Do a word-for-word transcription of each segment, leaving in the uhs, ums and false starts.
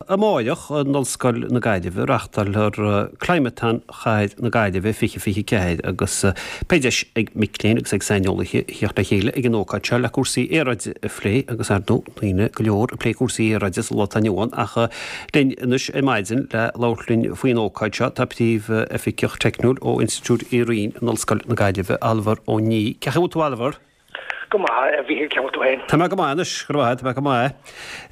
amáireach in Ollscoil na Gaillimhe reáchtálfar Climathon Chathair na Gaillimhe fiche fiche ceathair agus beidh deis ag mic léinn agus ag saineolaithe theacht le chéile ag an ócáid seo le cúrsaí aeráide a phlé agus ar ndóigh daoine go leor ag plé cúrsaí aeráide sa lá atá inniu ann ach linn anois ar maidin le labhairt linn faoin ócáid seo tá príomh-oifigeach teicniúil ó Institiúid Uí Riain in Ollscoil na Gaillimhe Ailbhear Ó Ní. Cén chaoi a bhfuil tú Ailbhear? Go maith, a Mhíchíl, cén chaoi a bhfuil tú féin? Tá mé go maith anois, go maith, tá mé go maith.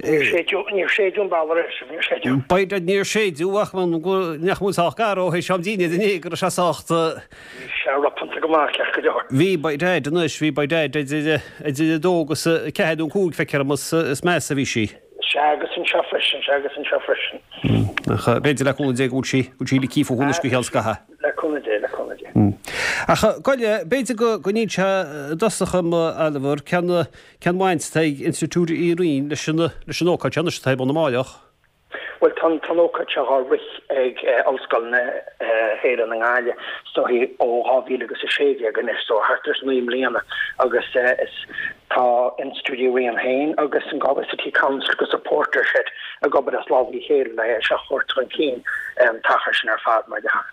Níor séideadh, níor séideadh an balla arís, níor séideadh. B'fhéidir níor séideadh ach nach bhfuil sách garbh ó théis am dinnéir inné go raibh sé sách. Bhí sé ropanta go maith ceart go leor. Bhí by dad anois, bhí by dad idir idir a dó agus a ceathair nó a cúig feictear dom is measa a bhí sí. Sea agus anseo freisin, sea agus anseo freisin. Ach b'fhéidir le cúnamh Dé go bhfuil sí, go bhfuil sí ligthe fúthu anois go cheann scaithimh. Le cúnamh Dé, le cúnamh Dé. Ach gabh i leith, b'fhéidir go go n-inseofá i dtosach dom, Ailbhear, cén cén bhaint atá ag Institiúid Uí Riain leis an leis an ócáid seo anois atá ar bun amáireach? Bhuel, tá an ócáid seo á rith ag Ollscoil na hÉireann i nGaillimh is dóichí ó dhá mhíle agus a sé déag anois, so thart ar naoi mbliana, agus is tá Institiúid Uí Riain féin agus an Galway City Council agus an PorterShed ag obair as lámh le chéile le é seo a thabhairt chun cinn an t-achar sin ar fad, mar dhea.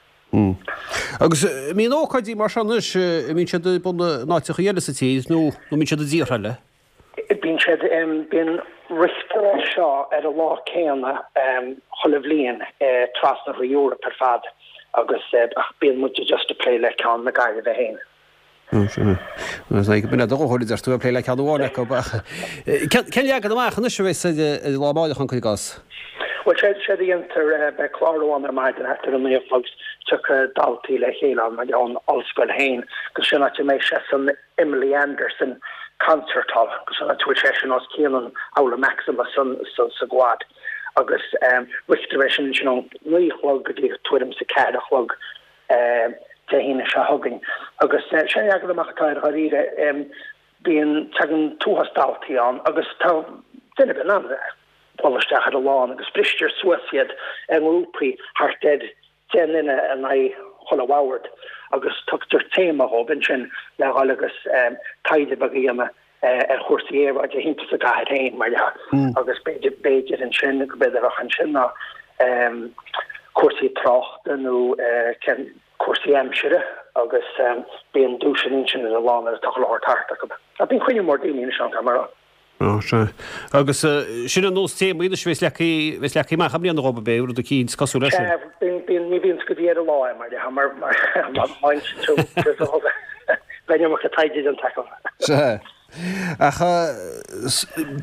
Agus an mbíonn ócáidí mar seo anois, an mbíonn siad ar bun in áiteacha eile sa tír nó an mbíonn siad i dtíortha eile? Bíonn siad, bíonn rithfear é seo ar an lá céanna chuile bhliain trasna thrí Eoraip ar fad agus ach bíonn muid just ag plé le ceann na Gaillimhe féin. B'in é do dhóthain, a deir tú, ag plé le ceann amháin acu ach cén leagan amach anois a bheas ar an lá amáireach an cuir i gcás? Bhuel, séard a dhéantar, beidh clár amháin ar maidin thart ar a naoi a chlog, tiocfaidh daltaí le chéile ann ón ollscoil féin agus sin áit a mbeidh sé san Emily Anderson Concert Hall agus an áit a bhfuil sé sin os cionn an Aula Maxima san sa Quad agus rithfear é sin ansin ón naoi a chlog go dtí tuairim is a ceathair a chlog Dé hAoine seo chugainn. Agus sé an leagan amach atá air dháiríre, bíonn, tagann t-uafás daltaí ann agus tá duine ar bith in ann dul isteach ar an lá agus bristear suas iad i ngrúpaí thart ar deich nduine in aghaidh chuile bhord agus tugtar téama dhóibh ansin le dhul agus taighde beag a dhéanamh ar chúrsaí aeráide thimpeall sa gcathair féin, mar dhea. Agus b'fhéidir, b'fhéidir ansin, go b'fhéidir a bheadh ansin ná cúrsaí tráchta nó cén cúrsaí aimsire agus bíonn duaiseanna ansin ar an lá nuair atá chuile shórt thart acu. Ach bíonn cruinniú mór daoine anois ann, tá mar. Ó, sea. Agus sin ar nós téamaí anois a bheas leagtha, bheas leagtha amach i mbliana dhóibh, ab é, rud eicínt cosúil leis sin? Sea, bíonn, bíonn, ní bhíonns go dtí ar an lá é, mar dhea, mar, mar, mar, mar, bheadh an iomarca taighde déanta acu. Sea. Ach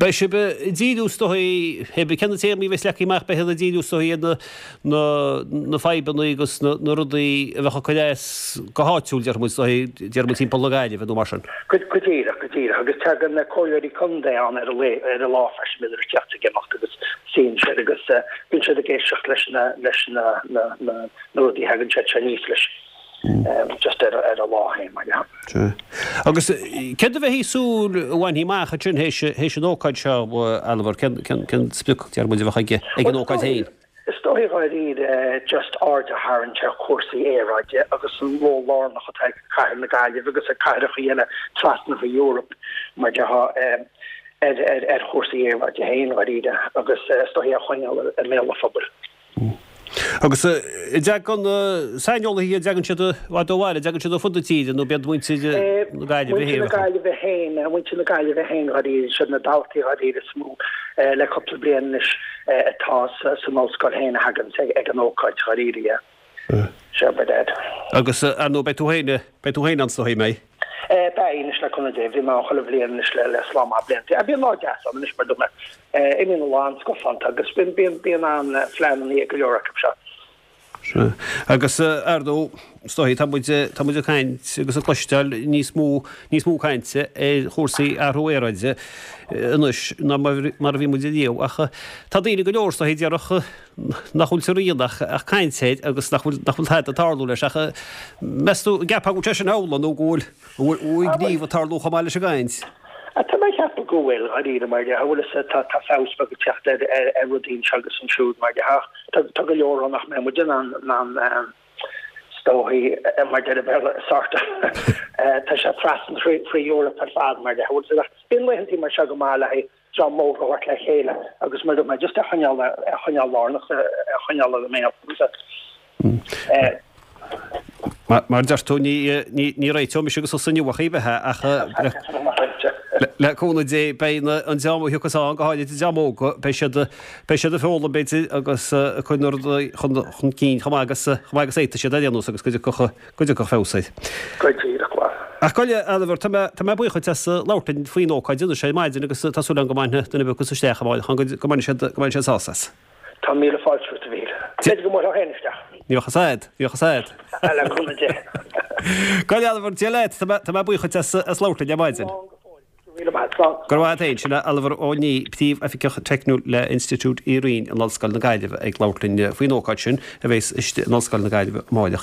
beidh sibh ag díriú is dóigh, hé bith cé na téamaí a bheas leagtha amach, beidh siad ag díriú is dóigh ar na, na, na fadhbanna agus na, na rudaí a bheadh ag cur as go háitiúil, déarfaidh muid, is dóigh, déarfaidh muid timpeall na Gaillimhe nó mar sin. Go díreach, go díreach. Agus tagann na comhairleoirí contae ann ar an lae, ar an lá freisin, bíonn ag teacht ag imeacht agus suíonn siad agus bíonn siad ag éisteacht leis na, leis na, na, na, na rudaí a thagann siad seo aníos leis, just ar, ar an lá féin, mar dhea. Sea. Agus céard a bheifí ag súil a bhainfí amach ansin théis, théis an ócáid seo, a Ailbhear, cén, cén, cén sprioc, déarfaidh muid, a bheadh ag, ag an ócáid féin? Is dóichí dháiríre just aird a tharraingt ar chúrsaí aeráide agus an ról lárnach atá ag cathair na Gaillimhe agus ag cathracha eile trasna an Eoraip mar déarfá ar ar chúrsaí aeráide féin dháiríre agus is dóichí a choinneáil i mbéal an phobail. Agus an dtagann saineolaithe, an dtagann siad i bhfad ó bhaile, an dtagann siad ó fud na tíre nó b'iad muintir na Gaillimhe féin? Muintir na Gaillimhe féin, muintir na Gaillimhe féin dháiríre, siad na daltaí dháiríre is mó le cúpla bliain anois atá san ollscoil féin a thaganns ag an ócáid dháiríre, yeah. Sea, by dad. Agus ar ndóigh beidh tú féin, beidh tú féin ann is dóigh, an mbeidh? Beidh anois le cúnamh Dé, bhí mé ann chuile bhliain anois le le slám maith blianta. Bíonn lá deas ann anois mar dúirt mé, imíonn a lán scafánta agus bíonn bíonn bíonn an-phleananna ag go leor acu seo. Sea. Agus ar ndóigh, is dóigh, tá muid, tá muid ag caint agus ag cloisteáil níos mó, níos mó cainte ar chúrsaí athrú aeráide anois ná mar a bhí muid ariamh. Ach tá daoine go leor, is dóigh, a déarfadh nach bhfuil sa rian ach, ach caint air agus nach bhfuil, nach bhfuil tada ag tarlú leis. Ach meas tú, an gceapfá go bhfuil sé sin amhlaidh nó go bhfuil, bhfuil gníomh ag tarlú chomh maith leis an gcaint? Tá mé ag ceapadh go bhfuil, dháiríre, mar dhea, bhfuil fhios a'd, tá feabhas beag ag teacht ar ar rudaí anseo agus ansiúd, mar dhea, ach tá tá go leor ann nach mbeidh muid in ann in ann is dóichí, mar deir an Béarla, sort of, tá sé trasna thrí thrí Eoraip ar fad, mar dhea, bhfuil fhios a'd, ach bíonn laethantaí mar seo go maith le haghaidh dream óg a thabhairt le chéile agus mar mé just a choinneáil a choinneáil lárnach a choinneáil i mbéal. Mar deir tú ní réiteoidh mise agus tusa inniu ach bheith ach le cúnamh Dé beidh an dream a thiocfas ann go háirithe an dream óg beidh siad beidh siad ag foghlaim b'fhéidir agus ag cur na rudaí chun chun cinn chomh maith agus chomh maith agus a fhéadfaidh siad ar aon nós agus go dtiocfadh go dtiocfadh feabhas air. Go díreach, bhuel. Ach gabh i leith, Oliver, tá mé tá mé buíoch duit as labhairt linn faoin ócáid anois ar maidin agus tá súil agam go mbainfidh duine ar bith acu isteach amárach go go mbainfidh siad go mbainfidh siad sásamh as. Tá míle fáilte romhat a Mhíchíl. B'fhéidir go mbuailfeá féin isteach. Ní bheadh fhios a'd, ní bheadh fhios a'd. Le cúnamh Dé. Gabh i leith, Oliver, Dia leat, tá mé tá mé buíoch duit as as labhairt linn ar maidin. Slán go fóill. Go raibh míle maith. Slán. Go raibh maith a't féin. Sin é Oliver Ó Nia, Príomh-Oifigeach Teicniúil le Institiúid Uí Rinn in Ollscoil na Gaillimhe ag labhairt linn faoin ócáid sin a bheas istigh in Ollscoil na Gaillimhe amáireach.